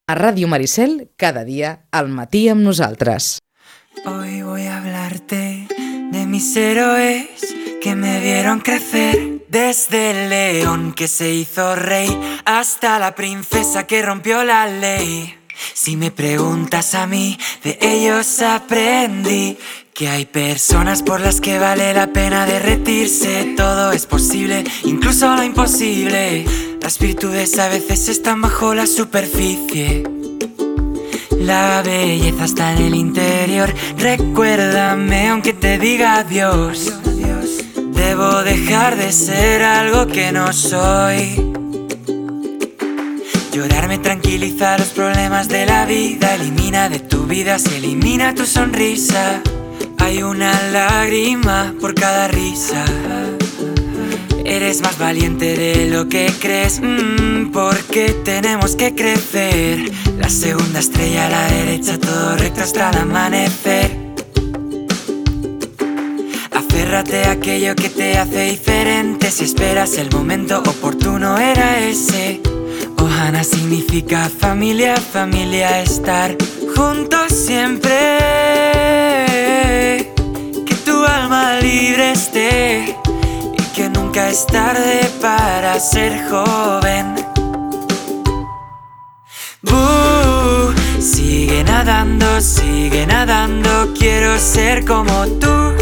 A Ràdio Maricel, cada dia al matí amb nosaltres. Hoy voy a hablarte de mis héroes que me vieron crecer. Desde el león que se hizo rey hasta la princesa que rompió la ley. Si me preguntas a mí, de ellos aprendí que hay personas por las que vale la pena derretirse. Todo es posible, incluso lo imposible. Las virtudes a veces están bajo la superficie. La belleza está en el interior. Recuérdame aunque te diga adiós. Debo dejar de ser algo que no soy. Llorar me tranquiliza los problemas de la vida. Elimina de tu vida, se elimina tu sonrisa. Hay una lágrima por cada risa. Eres más valiente de lo que crees, porque tenemos que crecer. La segunda estrella a la derecha, todo recto hasta el amanecer. Aférrate a aquello que te hace diferente. Si esperas el momento oportuno era ese. Ohana significa familia, familia, estar juntos siempre. Que tu alma libre esté y que nunca es tarde para ser joven. Sigue nadando, quiero ser como tú.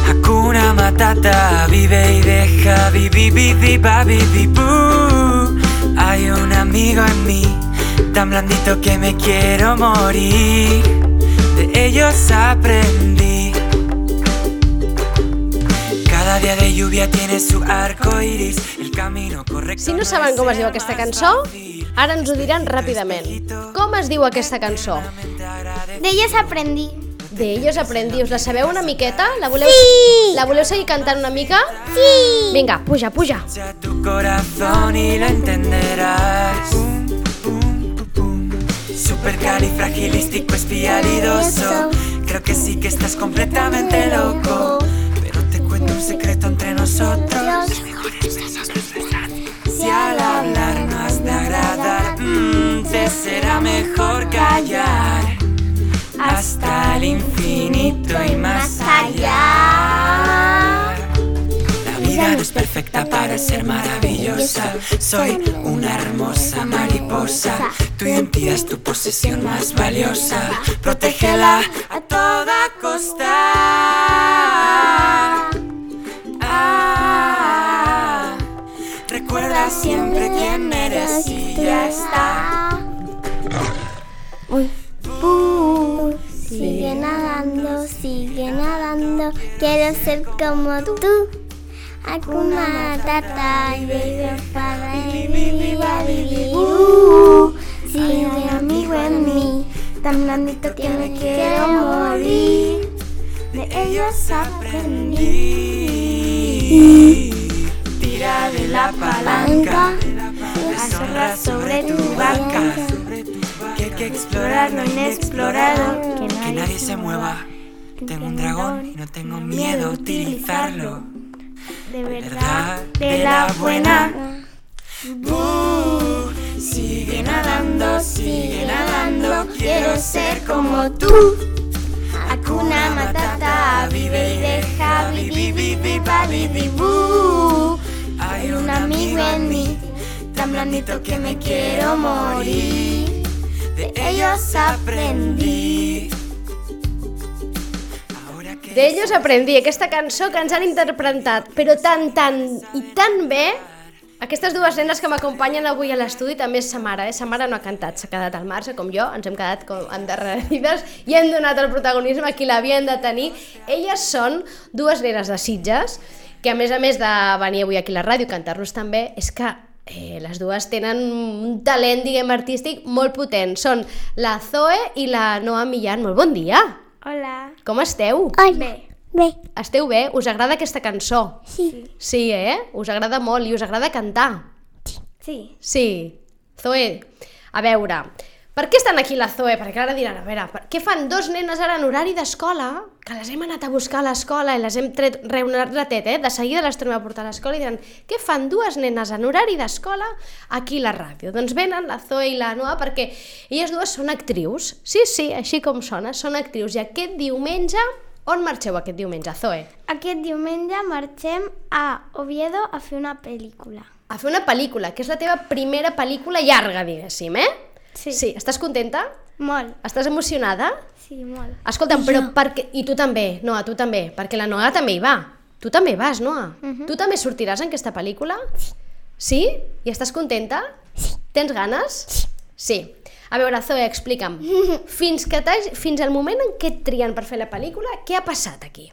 Hakuna Matata, vive y deja, Hay un amigo en mí, tan blandito que me quiero morir. De ellos aprendí. Cada dia de lluvia tiene su arco iris, el camino correcto. Si no saben com es diu aquesta cançó, ara ens ho diran ràpidament. Com es diu aquesta cançó? De ellos aprendí. De ellos aprendí. Us la sabeu una miqueta? La voleu, Sí! la voleu seguir cantant una mica? Sí! Vinga, puja, puja. A tu corazón y lo entenderás. Supercalifragilístico espialidoso. Creo que sí que estás completamente loco. Pero te cuento un secreto entre nosotros. Si al hablar no has de agradar, te será mejor callar. Hasta el infinito y más allá. La vida no es perfecta para ser maravillosa. Soy una hermosa mariposa. Tu identidad es tu posesión más valiosa. Protégela a toda costa. Recuerda siempre quién eres y ya está. Sigue nadando, quiero ser como tú. Hakuna Matata, baby, para sigue amigo en mí, tan blandito que me quiero morir. De ellos aprendí. Tira de la palanca, deshonra sobre tu vaca. Que hay que explorar lo inexplorado. Que nadie se mueva. Tengo un dragón y no tengo miedo a utilizarlo. De verdad, de la buena. Sigue nadando, quiero ser como tú. Hakuna Matata, vive y deja, Hay un amigo en mí, tan blandito que me quiero morir. De ellos aprendí. De ellos aprendí, aquesta cançó que ens han interpretat, però tan bé. Aquestes dues nenes que m'acompanyen avui a l'estudi també és sa mare, Sa mare no ha cantat, s'ha quedat al marge, com jo, ens hem quedat endarrerides i hem donat el protagonisme a qui l'havien de tenir. Elles són dues nenes de Sitges, que a més de venir avui aquí a la ràdio i cantar-nos també, és que les dues tenen un talent, diguem, artístic molt potent. Són la Zoe i la Noa Millán. Molt bon dia! Hola. Com esteu? Bé. Esteu bé? Us agrada aquesta cançó? Sí. Sí, us agrada molt i us agrada cantar? Sí. Sí. Zoe, a veure, Per què estan aquí la Zoe? Perquè ara diran, a veure, què fan dos nenes ara en horari d'escola, que les hem anat a buscar a l'escola i les hem tret un ratet, de seguida les tornem a portar a l'escola i diran, què fan dues nenes en horari d'escola aquí a la ràdio? Doncs venen la Zoe i la Noa perquè elles dues són actrius. Sí, així com sona, són actrius. I aquest diumenge, on marxeu aquest diumenge, Zoe? Aquest diumenge marxem a Oviedo a fer una pel·lícula. A fer una pel·lícula, que és la teva primera pel·lícula llarga, diguéssim, Sí, estàs contenta? Molt. Estàs emocionada? Sí, molt. Escolta'm, però perquè... I tu també, Noa, tu també, perquè la Noa també hi va. Tu també vas, Noa. Tu també sortiràs en aquesta pel·lícula? Sí? I estàs contenta? Sí. Tens ganes? Sí. A veure, Zoe, explica'm. Fins al moment en què et trien per fer la pel·lícula, què ha passat aquí?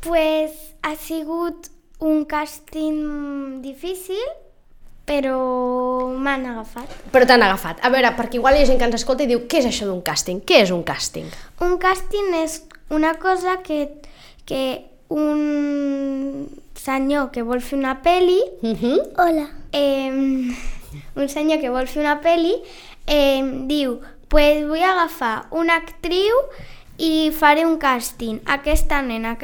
Pues ha sigut un càsting difícil, però m'han agafat. Però t'han agafat. A veure, perquè igual hi ha gent que ens escolta i diu, què és això d'un càsting? Què és un càsting? Un càsting és una cosa que un senyor que vol fer una pel·li... Hola. Un senyor que vol fer una pel·li diu, pues vull agafar una actriu i faré un càsting. Aquesta nena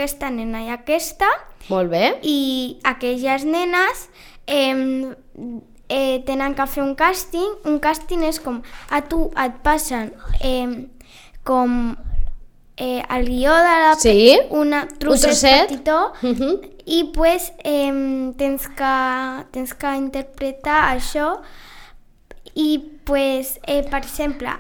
i aquesta. Molt bé. I aquelles nenes tenen que fer un càsting. Un càsting és com a tu et passen com el guió de la un trosset petitó i pues tens que interpretar això i pues per exemple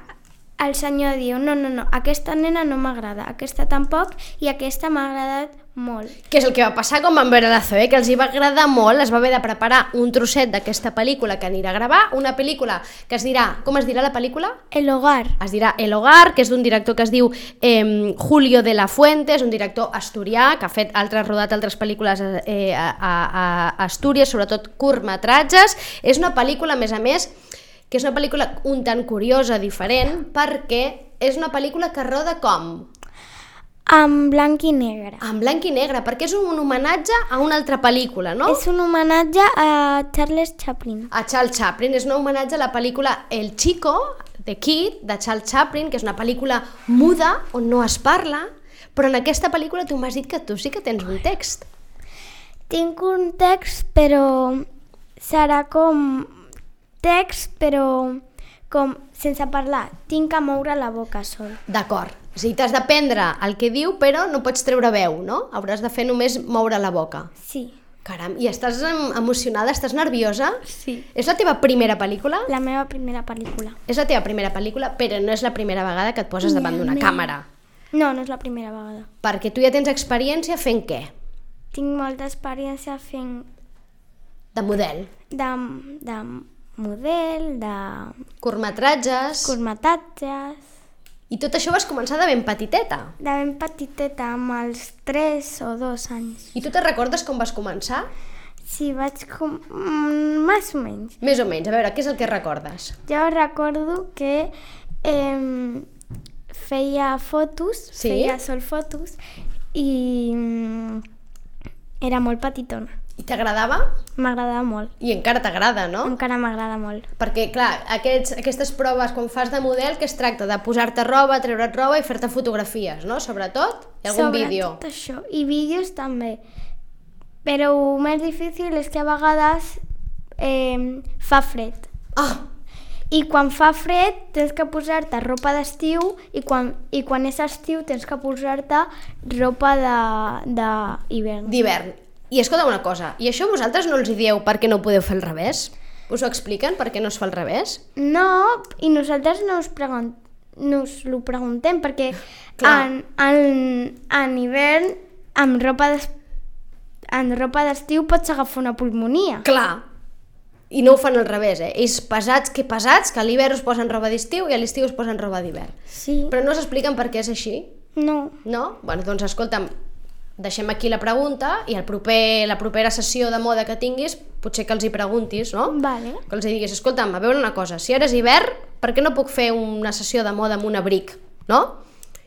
el senyor diu no, aquesta nena no m'agrada, aquesta tampoc i aquesta m'ha agradat molt. Què és el que va passar quan van veure la Zoe? Que els hi va agradar molt, es va haver de preparar un trosset d'aquesta pel·lícula que anirà a gravar, una pel·lícula que es dirà, com es dirà la pel·lícula? El Hogar. Es dirà El Hogar, que és d'un director que es diu Julio de la Fuente, és un director asturià que ha rodat altres pel·lícules a Astúries, sobretot curtmetratges. És una pel·lícula, a més, que és una pel·lícula un tant curiosa, diferent, perquè és una pel·lícula que roda com? En blanc i negre. En blanc i negre, perquè és un homenatge a una altra pel·lícula, no? És un homenatge a Charles Chaplin. A Charles Chaplin, és un homenatge a la pel·lícula El Chico, de Kid, de Charles Chaplin, que és una pel·lícula muda, on no es parla, però en aquesta pel·lícula tu m'has dit que tu sí que tens un text. Tinc un text, però serà com text, però com sense parlar. Tinc que moure la boca sol. D'acord. O sigui, t'has d'aprendre el que diu, però no pots treure veu, no? Hauràs de fer només moure la boca. Sí. Caram, i estàs emocionada? Estàs nerviosa? Sí. És la teva primera pel·lícula? La meva primera pel·lícula. És la teva primera pel·lícula, però no és la primera vegada que et poses davant d'una càmera. No, no és la primera vegada. Perquè tu ja tens experiència fent què? Tinc molta experiència fent... De model. De model, de... Curtmetratges. I tot això vas començar de ben petiteta? De ben petiteta, amb els 3 o 2 anys. I tu te recordes com vas començar? Sí, vaig més o menys. Més o menys, a veure, què és el que recordes? Jo recordo que feia fotos, feia sol fotos i era molt petitona. I t'agradava? M'agradava molt. I encara t'agrada, no? Encara m'agrada molt. Perquè, clar, aquestes proves, quan fas de model, que es tracta de posar-te roba, treure't roba i fer-te fotografies, no? Sobretot? I algun vídeo? Sobretot això. I vídeos també. Però el més difícil és que a vegades fa fred. I quan fa fred tens que posar-te ropa d'estiu i quan és estiu tens que posar-te ropa d'hivern. D'hivern. I escolta una cosa, i això vosaltres no els hi dieu perquè no ho podeu fer al revés? Us ho expliquen per què no es fa al revés? No, i nosaltres no us ho preguntem perquè en hivern amb ropa d'estiu pots agafar una pulmonia. Clar, i no ho fan al revés, Ells pesats, que a l'hivern us posen roba d'estiu i a l'estiu us posen roba d'hivern. Sí. Però no s'expliquen per què és així? No. No? Bueno, doncs escolta'm, deixem aquí la pregunta i la propera sessió de moda que tinguis potser que els hi preguntis, no? Vale. Que els hi diguis, escolta'm, a veure una cosa, si ara és hivern, per què no puc fer una sessió de moda amb un abric, no?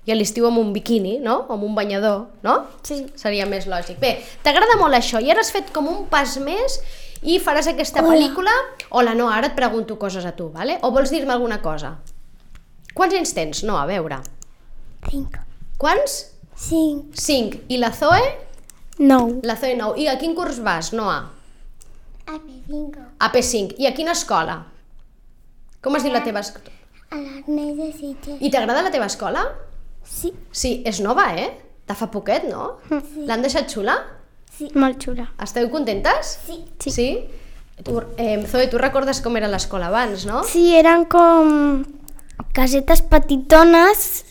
I a l'estiu amb un biquini, no? O amb un banyador, no? Sí. Seria més lògic. Bé, t'agrada molt això i ara has fet com un pas més I faràs aquesta pel·lícula, hola, no, ara et pregunto coses a tu, vale? O vols dir-me alguna cosa? Quants anys tens? No, a veure. 5. Quants? 5. 5. I la Zoe? 9. La Zoe 9. I a quin curs vas, Noa? AP5. AP5. I a quina escola? Com es diu la teva escola? A l'Ernest de Sitges. I t'agrada la teva escola? Sí. Sí, és nova, De fa poquet, no? Sí. L'han deixat xula? Sí. Molt xula. Esteu contentes? Sí. Sí? Zoe, tu recordes com era l'escola abans, no? Sí, eren com casetes petitones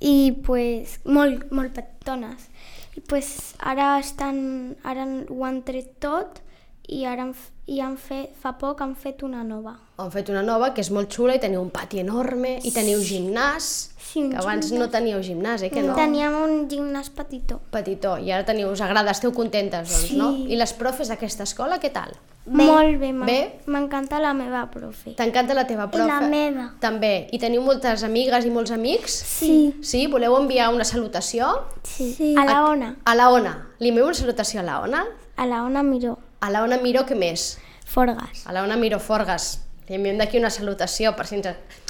i pues molt petitones. I pues ara ho han tret tot i ara fa poc han fet una nova. Han fet una nova que és molt xula i teniu un pati enorme i teniu gimnàs, Sí, que abans no teníeu gimnàs, que no? Teníem un gimnàs petitó. Petitó, i ara us agrada, esteu contentes, doncs, Sí. no? I les profes d'aquesta escola, què tal? Molt bé, Bé? m'encanta la meva profe. T'encanta la teva profe? la meva. També. I teniu moltes amigues i molts amics? Sí. Sí? Voleu enviar una salutació? Sí. A la Ona. A la Ona. Li enviem una salutació a la Ona? A la Ona Miró. A la Ona Miró, què més? Forgas. A la Ona Miró Forgas. Li enviem d'aquí una salutació per si ens...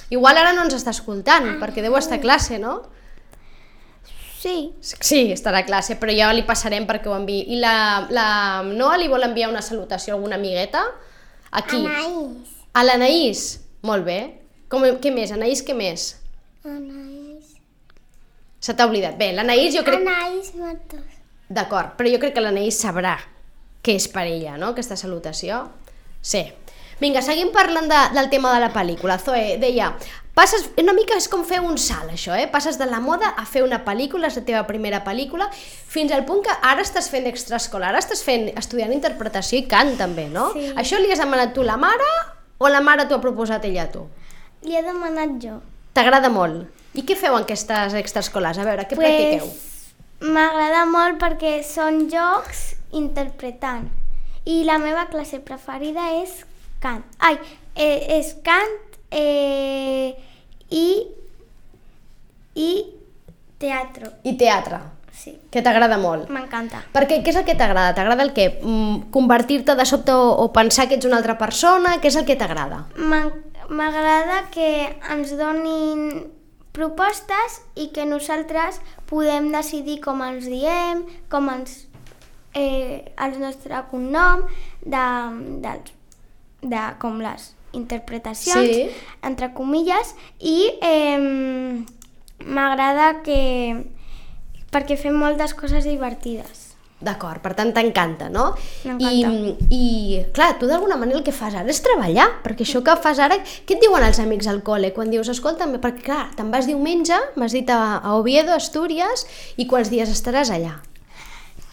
Igual ara no ens està escoltant, perquè deu estar a classe, no? Sí. Sí, estarà a classe, però ja li passarem perquè ho enviï. I la Noa li vol enviar una salutació a alguna amigueta? Aquí. Anaïs. A l'Anaïs? Molt bé. Què més? Anaïs, què més? Anaïs. Se t'ha oblidat. Bé, l'Anaïs jo crec... Anaïs Matos. D'acord, però jo crec que l'Anaïs sabrà què és per ella, no?, aquesta salutació. Sí. Vinga, seguim parlant del tema de la pel·lícula. Zoe deia, una mica és com fer un salt, això, passes de la moda a fer una pel·lícula, és la teva primera pel·lícula, fins al punt que ara estàs fent extraescolar, ara estàs estudiant interpretació i cant també, no? Sí. Això li has demanat tu a la mare o la mare t'ho ha proposat ella a tu? Li he demanat jo. T'agrada molt. I què feu en aquestes extraescolars? A veure, què practiqueu? M'agrada molt perquè són jocs interpretant. I la meva classe preferida és cant. És cant i teatre. I teatre. Sí. Que t'agrada molt. M'encanta. Perquè què és el que t'agrada? T'agrada el què? Convertir-te de sobte o pensar que ets una altra persona? Què és el que t'agrada? M'agrada que ens donin propostes i que nosaltres podem decidir com ens diem, com el nostre cognom, com les interpretacions, Sí. entre comilles, i m'agrada perquè fem moltes coses divertides. D'acord, per tant t'encanta, no? M'encanta. I clar, tu d'alguna manera el que fas ara és treballar, perquè això que fas ara, què et diuen els amics al col·le quan dius, escolta, perquè clar, te'n vas diumenge, m'has dit a Oviedo, Astúries, i quants dies estaràs allà?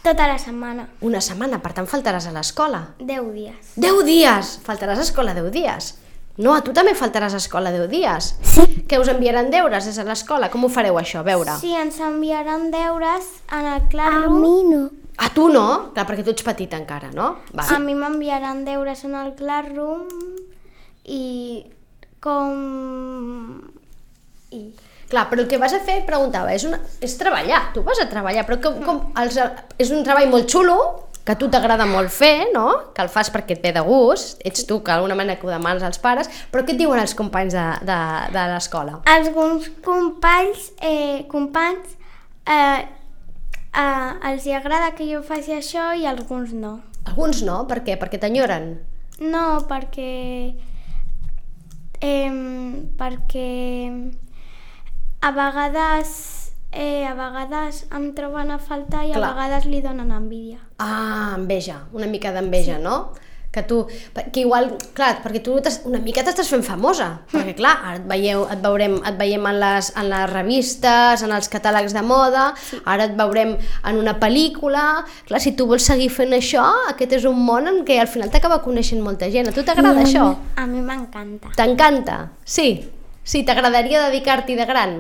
Tota la setmana. Una setmana, per tant faltaràs a l'escola. 10 dies. 10 dies! Faltaràs a escola 10 dies. No, a tu també faltaràs a escola 10 dies. Sí. Que us enviaran deures des de l'escola? Com ho fareu això, a veure? Sí, ens enviaran deures en el Classroom. A mi no. A tu no? Clar, perquè tu ets petit encara, no? Va. A mi m'enviaran deures en el Classroom i Clar, però el que vas a fer, preguntava, és treballar, tu vas a treballar, però és un treball molt xulo, que a tu t'agrada molt fer, no? Que el fas perquè et ve de gust, ets tu que d'alguna manera que ho demanes als pares, però què et diuen els companys de l'escola? Alguns companys els agrada que jo faci això i alguns no. Alguns no, per què? Perquè t'enyoren? No, perquè a vegades em troben a faltar i Clar. a vegades li donen envidia. Ah, enveja, una mica d'enveja, sí. No? Que igual, clar, perquè tu una mica t'estàs fent famosa, perquè clar, ara et veiem en les revistes, en els catàlegs de moda, sí. Ara et veurem en una pel·lícula, clar, si tu vols seguir fent això, aquest és un món en què al final t'acaba coneixent molta gent. A tu t'agrada això? A mi m'encanta. T'encanta? Sí? Sí, t'agradaria dedicar-t'hi de gran?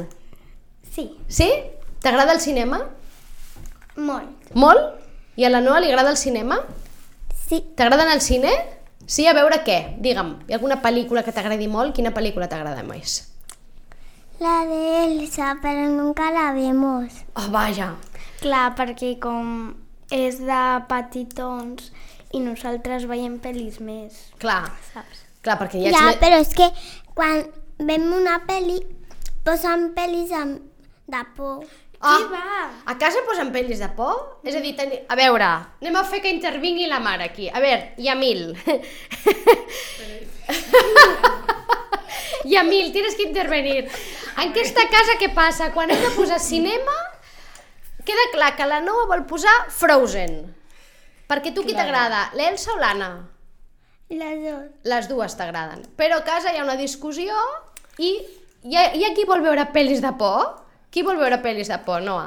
Sí. Sí? T'agrada el cinema? Molt. Molt? I a la Noa li agrada el cinema? Sí. T'agrada anar al cine? Sí, a veure què? Digue'm, hi ha alguna pel·lícula que t'agradi molt? Quina pel·lícula t'agrada més? La de Elsa, pero nunca la vemos. Oh, vaja. Clar, perquè com és de petitons i nosaltres veiem pel·lis més, Clar, saps? clar, perquè hi ha... Ja, però és que quan veiem una pel·li, posen pel·lis de por. A casa posen pel·lis de por? És a dir, a veure, anem a fer que intervingui la mare aquí. A veure, Yamil. Yamil, tienes que intervenir. En aquesta casa què passa? Quan hem de posar cinema, queda clar que la Noa vol posar Frozen. Perquè tu qui t'agrada, l'Elsa o l'Anna? Les dos. Les dues t'agraden. Però a casa hi ha una discussió i hi ha qui vol veure pel·lis de por? Qui vol veure pel·lis de por, Noa?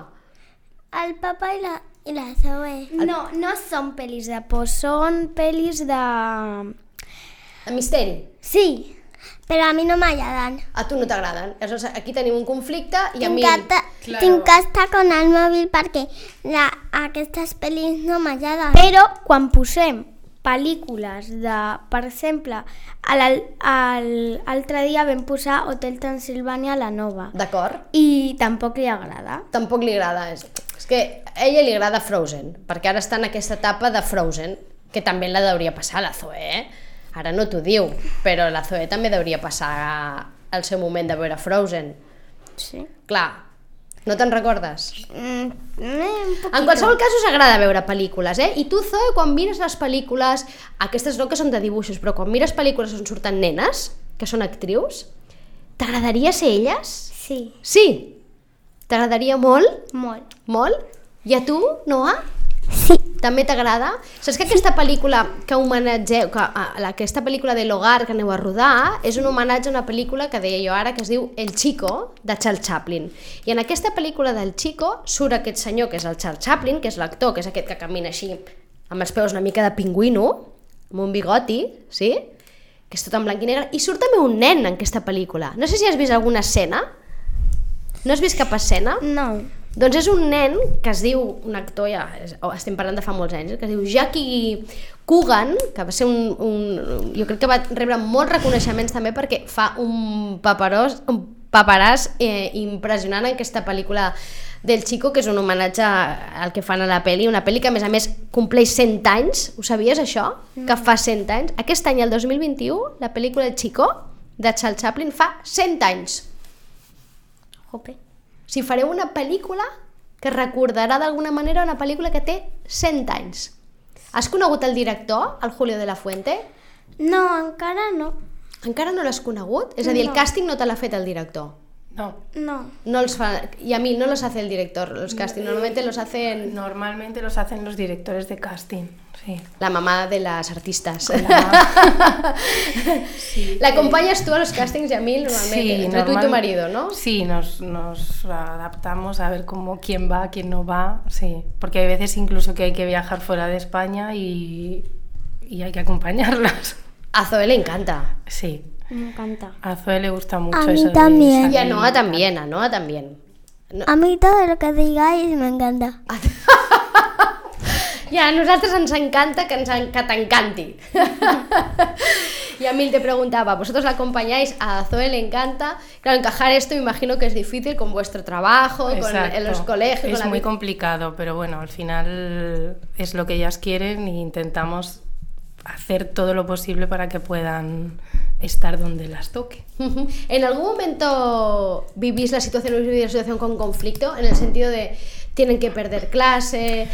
El papa i la Zoe. No, no són pel·lis de por, són pel·lis de... El misteri. Sí, però a mi no m'agraden. A tu no t'agraden. Aleshores, aquí tenim un conflicte i a mi... Tinc que estar con el mòbil perquè aquestes pel·lis no m'agraden. Però quan posem pel·lícules de... Per exemple, l'altre dia vam posar Hotel Transilvània a la Nova. D'acord. I tampoc li agrada. Tampoc li agrada. És que a ella li agrada Frozen, perquè ara està en aquesta etapa de Frozen, que també la hauria passar la Zoe, Ara no t'ho diu, però la Zoe també hauria passar el seu moment de veure Frozen. Sí. Clar, no te'n recordes? Un En qualsevol cas us agrada veure pel·lícules, I tu, Zoe, quan mires les pel·lícules, aquestes no que són de dibuixos, però quan mires pel·lícules on surten nenes, que són actrius, t'agradaria ser elles? Sí. Sí? T'agradaria molt? Molt. Molt? I a tu, Noa? Sí. També t'agrada? Saps que aquesta pel·lícula que homenatgeu, aquesta pel·lícula de l'Hogar que aneu a rodar, és un homenatge a una pel·lícula que deia jo ara que es diu El Chico, de Charles Chaplin. I en aquesta pel·lícula del Chico surt aquest senyor que és el Charles Chaplin, que és l'actor, que és aquest que camina així amb els peus una mica de pingüino, amb un bigoti, sí? Que és tot en blanc i negre, i surt també un nen en aquesta pel·lícula. No sé si has vist alguna escena. No has vist cap escena? No. Doncs és un nen que es diu, un actor, ja estem parlant de fa molts anys, que es diu Jackie Coogan, que va ser jo crec que va rebre molts reconeixements també perquè fa un paperàs impressionant en aquesta pel·lícula del Chico, que és un homenatge al que fan a la pel·li, una pel·li que a més compleix 100 anys, ho sabies això? Que fa 100 anys. Aquest any, el 2021, la pel·lícula El Chico, de Charles Chaplin, fa 100 anys. Jope. Si fareu una pel·lícula que recordarà d'alguna manera una pel·lícula que té 100 anys. Has conegut el director, el Julio de la Fuente? No, encara no. Encara no l'has conegut? És a dir, el càsting no te l'ha fet el director. No. No els fa, y a mí no los hace el director, los castings, normalmente los hacen... Normalmente los hacen los directores de casting, sí. La mamá de las artistas. Sí, ¿La acompañas tú a los castings, Yamil, normalmente? Sí, entre tú y tu marido, ¿no? Sí, nos adaptamos a ver quién va, quién no va, sí. Porque hay veces incluso que hay que viajar fuera de España y hay que acompañarlas. A Zoe le encanta. Sí. Me encanta. A Zoe le gusta mucho A mí eso. también. Y a Noa también, a Noa también. No. A mí todo lo que digáis me encanta. Y a nosaltres ens encanta que t'encanti. Y a Mil te preguntaba, ¿vosotros la acompañáis? A Zoe le encanta. Claro, encajar esto me imagino que es difícil con vuestro trabajo, en los colegios. Es muy complicado, pero bueno, al final es lo que ellas quieren y intentamos hacer todo lo posible para que puedan estar donde las toque. ¿En algún momento vivís la situación con conflicto? En el sentido de tienen que perder clase,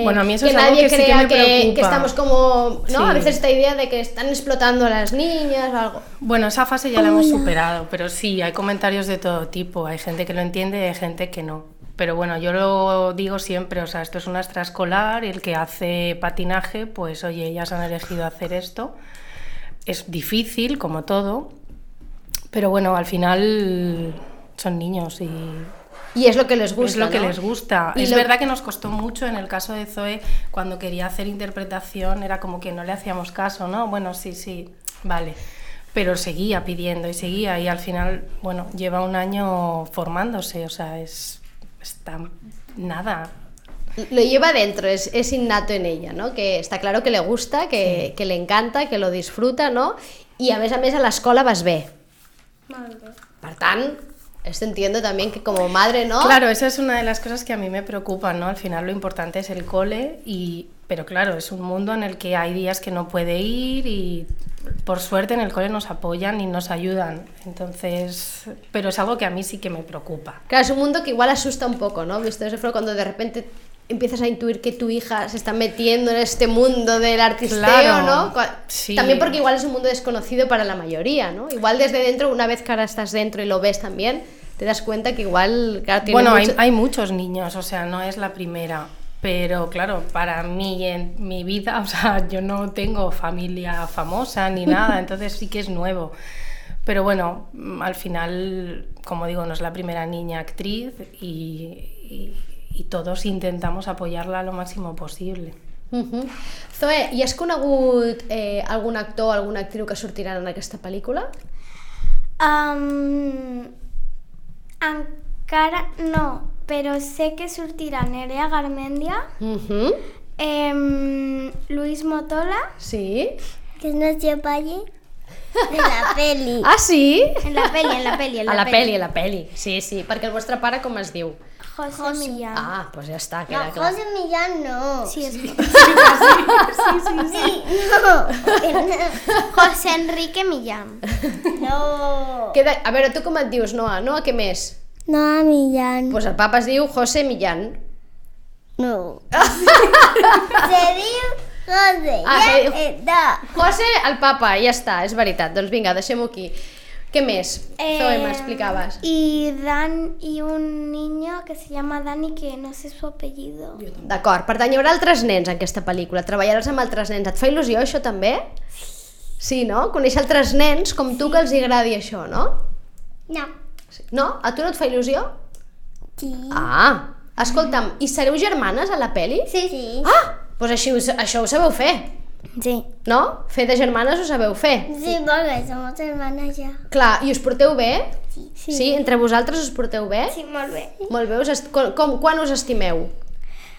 bueno, a mí eso que es algo nadie que sí crea que me preocupa. que estamos como, ¿no? Sí. A veces esta idea de que están explotando a las niñas o algo. Bueno, esa fase ya la hemos superado, pero sí, hay comentarios de todo tipo. Hay gente que lo entiende y hay gente que no. Pero bueno, yo lo digo siempre, o sea, esto es una extraescolar y el que hace patinaje, pues oye, ellas han elegido hacer esto. Es difícil, como todo, pero bueno, al final son niños y es lo que les gusta. Es lo que ¿no? les gusta. Es verdad que nos costó mucho en el caso de Zoe, cuando quería hacer interpretación, era como que no le hacíamos caso, ¿no? Bueno, sí, vale. Pero seguía pidiendo y al final, bueno, lleva un año formándose, o sea, está nada. Lo lleva dentro, es innato en ella, ¿no? Que está claro que le gusta, que le encanta, que lo disfruta, ¿no? I a més a l'escola vas bé. Molt bé. Per tant, Esto entiendo también que como madre, ¿no? Claro, esa es una de las cosas que a mí me preocupan, ¿no? Al final lo importante es el cole, pero claro, es un mundo en el que hay días que no puede ir y por suerte en el cole nos apoyan y nos ayudan. Entonces, pero es algo que a mí sí que me preocupa. Claro, es un mundo que igual asusta un poco, ¿no? Visto eso fue cuando de repente empiezas a intuir que tu hija se está metiendo en este mundo del artisteo, Claro, ¿no? sí. También porque igual es un mundo desconocido para la mayoría, ¿no? Igual desde dentro, una vez que ahora estás dentro y lo ves también, te das cuenta que igual... Claro, tiene Bueno, mucho... hay muchos niños, o sea, no es la primera, pero claro, para mí en mi vida, o sea, yo no tengo familia famosa ni nada, entonces sí que es nuevo. Pero bueno, al final, como digo, no es la primera niña actriz y todos intentamos apoyarla lo máximo possible. Zoe, i has conegut algun actor o alguna actriu que sortiran en aquesta pel·lícula? Encara no, però sé que sortirà Nerea Garmendia, Luis Motola... Sí? Que es nuestro padre de la peli. Ah, sí? En la peli. A la peli. Sí, sí, perquè el vostre pare com es diu? José Millán. Ah, doncs ja està, No, queda clar. José Millán no. Sí, es Sí, no. José Enrique Millán. No. A veure, tu com et dius, Noa? Noa, què més? No, Millán. Doncs el papa es diu José Millán. No. Se diu José. Ah, Ja se diu- està. José, el papa, ja està, és veritat. Doncs vinga, deixem-ho aquí. Què més? Zoe, m'explicaves. Y un niño que se llama Dani, que no sé su apellido. D'acord, per tant, hi haurà altres nens en aquesta pel·lícula. Treballaràs amb altres nens. Et fa il·lusió, això, també? Sí, no? Conèixer altres nens com tu que els agradi això, no? No. No? A tu no et fa il·lusió? Sí. Ah, escolta'm, i sereu germanes a la pel·li? Sí. Ah, doncs això ho sabeu fer, Sí. no? Fer de germanes ho sabeu fer. Sí, porque somos hermanas ya. Clar, i us porteu bé? Sí. Sí, entre vosaltres us porteu bé? Sí, molt bé. Molt bé, quan us estimeu?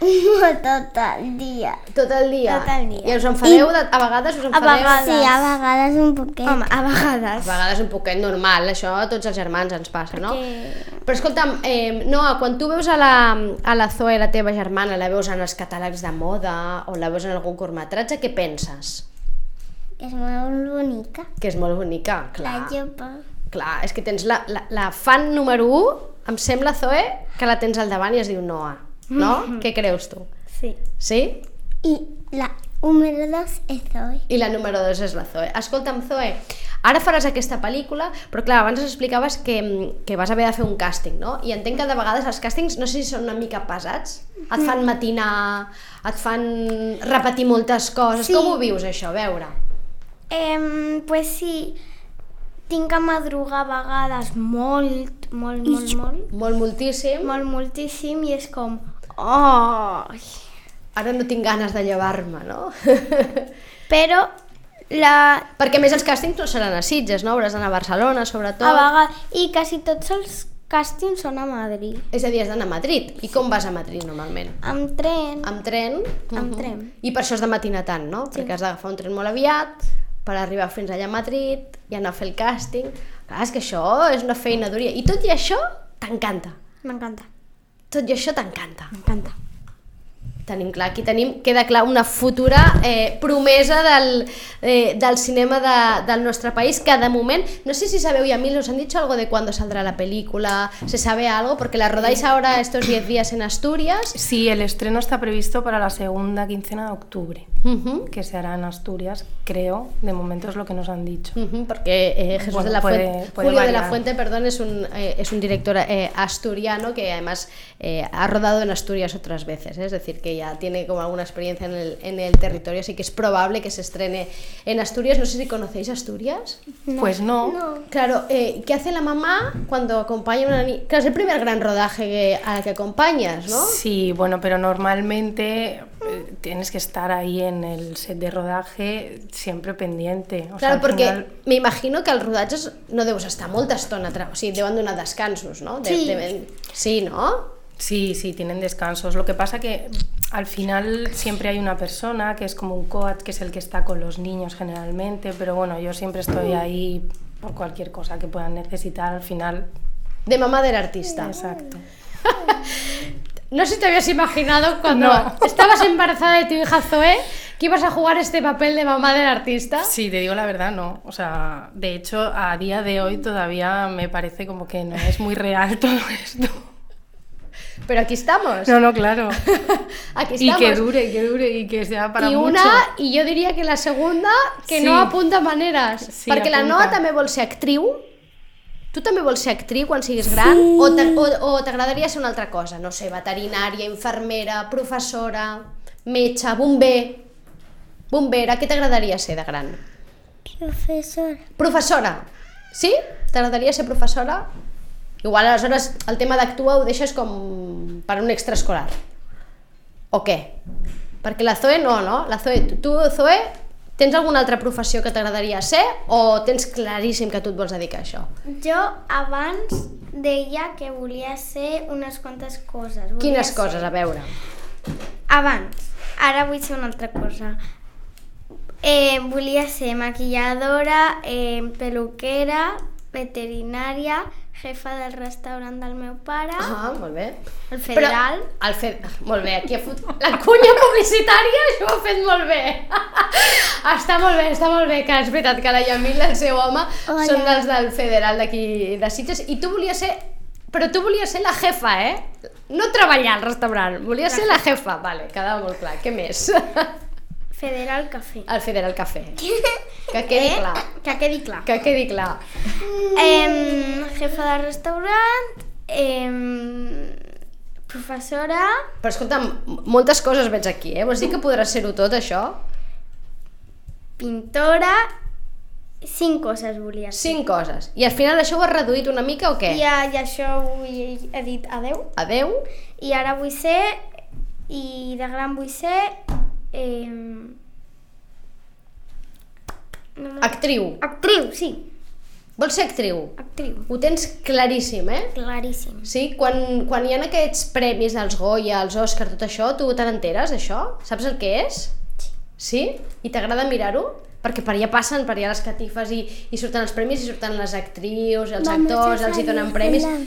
Tot el dia. Tot el dia? Tot el dia. I us enfadeu? A vegades us enfadeu? vegades. Sí, a vegades un poquet. Home, a A vegades. vegades un poquet normal, això a tots els germans ens passa, no? Perquè- Però escolta'm, Noa, quan tu veus a la Zoe, la teva germana, la veus en els catàlegs de moda o la veus en algun curtmetratge, què penses? Que es muy bonita. Que és molt bonica, clar. La llopa. Clar, és que tens la fan número 1, em sembla, Zoe, que la tens al davant i es diu Noa, no? Què creus tu? Sí. Sí? Y la número 2 es Zoe. I la número 2 és la Zoe. Escolta'm, Zoe, ara faràs aquesta pel·lícula, però clar, abans ens explicaves que vas haver de fer un càsting, no? I entenc que de vegades els càstings, no sé si són una mica pesats, et fan matinar, et fan repetir moltes coses. Sí. Com ho vius, això? A veure. Pues sí, tinc que madrugar a vegades molt, Moltíssim. moltíssim, i és com... Oh! Ara no tinc ganes de llevar-me, no? Però Perquè a més els càstings no seran a Sitges, no? Hauràs d'anar a Barcelona, sobretot. a vegades... I quasi tots els càstings són a Madrid. És a dir, has d'anar a Madrid. I com vas a Madrid, normalment? Amb tren. Amb tren? Amb tren. I per això has de matinar tant, no? Sí. Perquè has d'agafar un tren molt aviat per arribar fins allà a Madrid i anar a fer el càsting. Clar, és que això és una feina dura. I tot i això, t'encanta. M'encanta. Tot i això t'encanta. M'encanta. Tenim clar, aquí queda clar una futura promesa del cinema del nostre país, que de moment, no sé si sabeu, y a mí os han dicho algo de cuándo saldrá la película, ¿se sabe algo? Porque la rodáis ahora estos 10 días en Asturias. Sí, el estreno está previsto para la segunda quincena de octubre, que se hará en Asturias, creo, de momento es lo que nos han dicho. Porque Jesús Bueno, de la Fuente, puede Julio de la variar. Fuente, perdón, es un director asturiano que además ha rodado en Asturias otras veces, es decir, que ya tiene como alguna experiencia en el territorio, así que es probable que se estrene en Asturias. No sé si conocéis Asturias. Pues no. Claro, ¿qué hace la mamá cuando acompaña a una niña? Claro, es el primer gran rodaje a la que acompañas, ¿no? Sí, bueno, pero normalmente tienes que estar ahí en el set de rodaje siempre pendiente. O sea, Claro, al perquè final- m'imagino que els rodatges no deus estar molta estona, o sigui, deuen donar descansos, no? Sí, ¿no? Sí, sí, tienen descansos. Lo que pasa que al final siempre hay una persona que es como un coach, que es el que está con los niños generalmente, pero bueno, yo siempre estoy ahí por cualquier cosa que puedan necesitar. Al final de mamá del artista. Exacto. No sé si te habías imaginado cuando estabas embarazada de tu hija Zoe que ibas a jugar este papel de mamá del artista. Sí, te digo la verdad, no. O sea, de hecho, a día de hoy todavía me parece como que no es muy real todo esto. Pero aquí estamos. No, claro. Aquí estamos. Y que dure y que sea para mucho. I jo diria que la segunda, que no apunta maneres. Sí, perquè apunta. La Noa també vol ser actriu. Tu també vols ser actriu quan siguis gran? Sí. O t'agradaria ser una altra cosa? No sé, veterinària, infermera, professora, metge, bomber. Bombera, què t'agradaria ser de gran? Professora. Professora? Sí? T'agradaria ser professora? Igual aleshores el tema d'actuar ho deixes com per un extraescolar. O què? Perquè la Zoe no? La Zoe, tu, Zoe, tens alguna altra professió que t'agradaria ser o tens claríssim que tu et vols dedicar a això? Jo abans deia que volia ser unes quantes coses. Quines coses? A veure. Abans. Ara vull ser una altra cosa. Volia ser maquilladora, peluquera, veterinària, jefa del restaurant del meu pare. Molt bé. El Federal. Molt bé, aquí ha fot... La cunya publicitària, això ho ha fet molt bé. Està molt bé, que és veritat que la Yamil i el seu home són dels del Federal d'aquí de Sitges. I tu volies ser... Però tu volies ser la jefa, No treballar al restaurant, volies ser la jefa. Vale, quedava molt clar. Què més? Federal Café. El Federal Café. Que quedi clar. Que quedi clar. Que quedi clar. Jefa de restaurant, professora... Però escolta'm, moltes coses veig aquí, Vols dir que podràs ser-ho tot, això? Pintora... 5 coses volia ser. 5 coses. I al final això ho has reduït una mica o què? I això he dit adeu. Adeu. I ara vull ser... I de gran vull ser... Actriu. Actriu, sí. Vols ser actriu? Actriu. Ho tens claríssim, Claríssim. Sí? Quan hi ha aquests premis dels Goya, els Òscar, tot això, tu te n'enteres, això? Saps el que és? Sí? I t'agrada mirar-ho? Perquè per allà passen, per allà les catifes i surten els premis i surten les actrius, els actors, els hi donen premis. El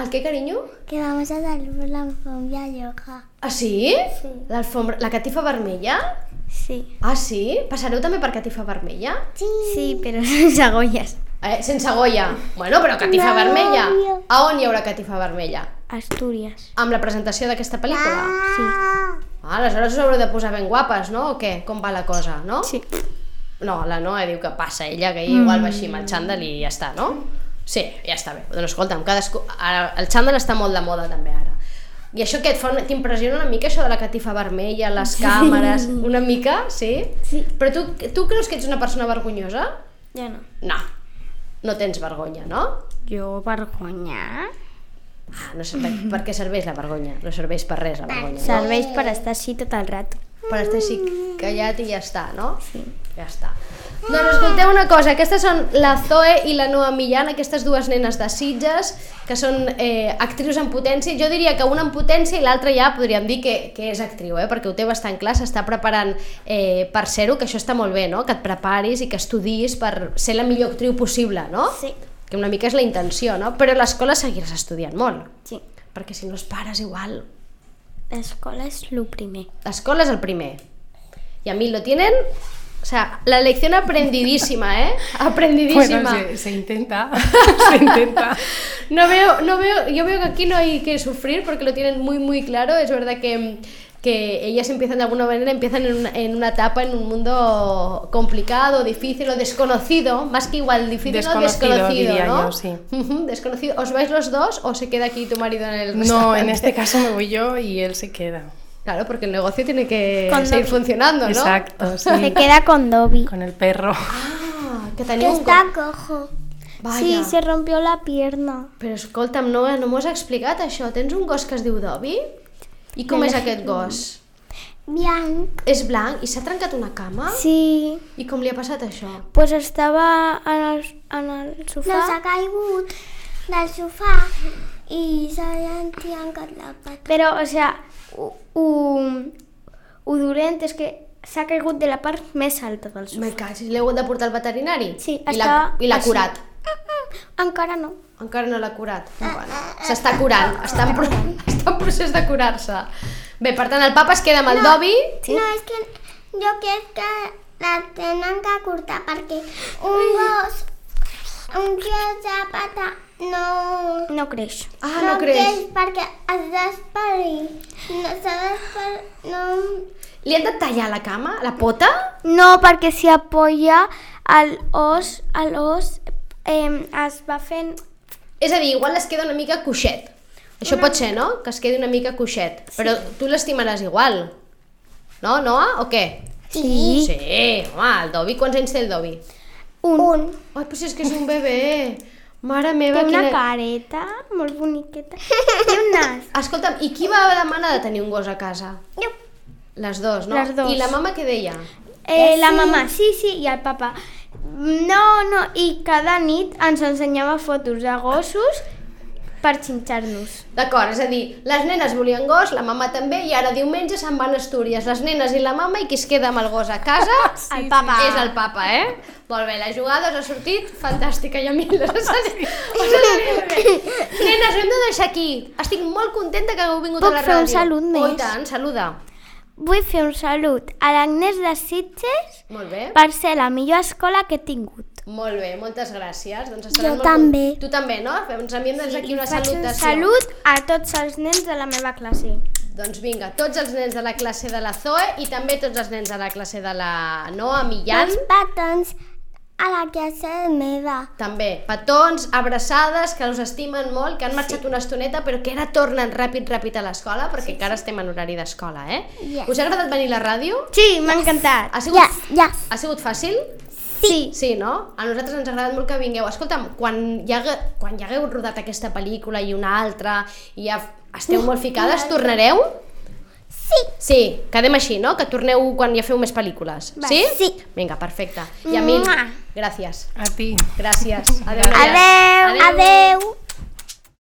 què, carinyo? Que vamos a salir por la alfombra yoga. Ah, sí? Sí. La catifa vermella? Sí. Ah, sí? Passareu també per catifa vermella? Sí, però sense agolles. Sense Goya? Bueno, però catifa vermella. A on hi haurà catifa vermella? Astúries. Amb la presentació d'aquesta pel·lícula? Sí. Aleshores us haureu de posar ben guapes, no? O què? Com va la cosa, no? Sí. No, la Noa diu que passa ella, que igual va així amb el xandall i ja està, no? Sí, ja està bé. Doncs escolta'm, ara, el xandall està molt de moda també ara. I això què t'impressiona una mica, això de la catifa vermella, les càmeres, una mica, sí? Sí. Però tu creus que ets una persona vergonyosa? Jo no. No tens vergonya, no? Jo vergonya? No serveix, per què serveix la vergonya? No serveix per res la vergonya. Serveix per estar així tot el rato. Per estar així callat i ja està, no? Sí. Ja està. Doncs escolteu una cosa, aquestes són la Zoe i la Noa Millán, aquestes dues nenes de Sitges, que són actrius en potència. Jo diria que una en potència i l'altra ja podríem dir que és actriu, perquè ho té bastant clar, s'està preparant per ser-ho, que això està molt bé, no? Que et preparis i que estudis per ser la millor actriu possible, no? Sí. Que una mica és la intenció, no? Però a l'escola seguiràs estudiant molt. Sí. Perquè si no els pares igual... L'escola és el primer. L'escola és el primer. Y a mí lo tienen... O sea, la lección aprendidísima, Aprendidísima. Bueno, se intenta. Se intenta. Yo veo que aquí no hay que sufrir porque lo tienen muy, muy claro. Es verdad que ellas empiezan de alguna manera, en una etapa, en un mundo complicado, difícil o desconocido, más que igual difícil, desconocido, diría ¿no? Yo, sí. Desconocido. ¿Os vais los dos o se queda aquí tu marido en el restaurante? No, en este caso me voy yo y él se queda. Claro, porque el negocio tiene que seguir funcionando, ¿no? Exacto, sí. Se queda con Dobby. Con el perro. Ah, que Que teniu un... está cojo. Vaya. Sí, se rompió la pierna. Però escolta'm, no m'ho has explicat això. Tens un gos que es diu Dobby? I com és aquest gos? Blanc. És blanc i s'ha trencat una cama? Sí. I com li ha passat això? Pues estava en el sofà. No s'ha caigut del sofà i s'ha trencat la pata. Però, o sea, ho dolent és que s'ha caigut de la part més alta del sofà. Me caig, l'heu de portar al veterinari? Sí, I l'ha curat. Encara no. Encara no l'ha curat. Bueno, s'està curant, està en procés de curar-se. Bé, per tant, el papa es queda amb el Dobby. No, és que jo crec que la tenen que cortar perquè un gos de pata no creix. No creix. Perquè has d'esperir. No. Li han de tallar la cama, la pota? No, perquè si apoya l'os es va fent... És a dir, igual es queda una mica coixet. Això pot ser, no? Que es quedi una mica coixet. Però tu l'estimaràs igual. No, Noa? O què? Sí. Sí, home, el Dobby, quants anys té el Dobby? Un. Ai, però si és que és un bebè. Mare meva, Té una careta molt boniqueta. Té un nas. Escolta'm, i qui va demanar de tenir un gos a casa? Jo. Les dos, no? Les dos. I la mama què deia? La mamà, sí, i el papa. No, i cada nit ens ensenyava fotos de gossos per xinxar-nos. D'acord, és a dir, les nenes volien gos, la mama també, i ara diumenge se'n van a Astúries, les nenes i la mama, i qui es queda amb el gos a casa El papa. és el papa, Molt bé, la jugada us ha sortit fantàstica, i a mi us ha sortit molt bé. Nenes, ho hem de deixar aquí. Estic molt contenta que hagueu vingut a la ràdio. Puc fer un salut més? Oh, i tant, saluda. Vull fer un salut a l'Agnès de Sitges Molt bé. per ser la millor escola que he tingut. Molt bé, moltes gràcies. Doncs Jo també. Tu també, no? Ens enviem des d'aquí una Faig un salutació. salut a tots els nens de la meva classe. Doncs vinga, tots els nens de la classe de la Zoe i també tots els nens de la classe de la Noa, Millán. Els petons a la classe meva. També, petons, abraçades, que us estimen molt, que han marxat una estoneta, però que ara tornen ràpid a l'escola, perquè encara estem en horari d'escola, Yes. Us ha agradat venir a la ràdio? Sí, m'ha encantat. Ha sigut, Yes. ha sigut fàcil? Sí. Sí, no? A nosaltres ens ha agradat molt que vingueu. Escolta'm, quan ja hagueu rodat aquesta pel·lícula i una altra, i ja esteu molt ficades, tornareu? Sí, quedem així, no? Que torneu quan ja feu més pel·lícules. Sí? Sí. Vinga, perfecte. I Emil, gràcies. A ti. Gràcies. Adéu. Adeu.